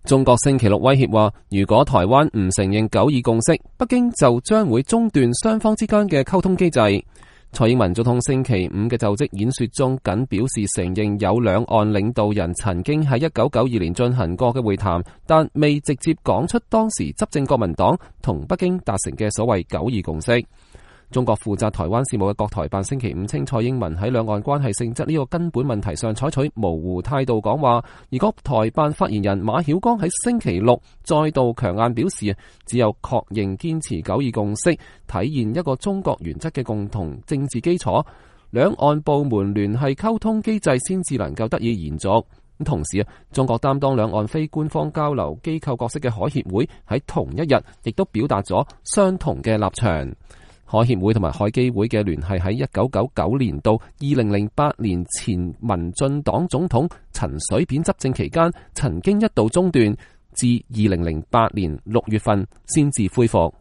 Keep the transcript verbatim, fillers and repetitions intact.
中國星期六威脅話，如果台灣唔承認九二共識，北京就將會中斷雙方之間嘅溝通機制。蔡英文總統星期五嘅就職演說中，僅表示承認有兩岸領導人曾經喺一九九二年進行過嘅會談，但未直接講出當時執政國民黨同北京達成嘅所謂九二共識。中國負責台灣事務嘅國台辦星期五稱，蔡英文喺兩岸關係性質呢個根本問題上採取模糊態度講話。而國台辦發言人馬曉光喺星期六再度強硬表示，只有確認堅持九二共識，體現一個中國原則嘅共同政治基礎，兩岸部門聯繫溝通機制先至能夠得以延續。同時啊，中國擔當兩岸非官方交流機構角色嘅海協會喺同一日亦都表達咗相同嘅立場。海協會同埋海基會嘅聯繫喺一九九九年到二零零八年前民進黨總統陳水扁執政期間曾經一度中斷，至二零零八年六月份先至恢復。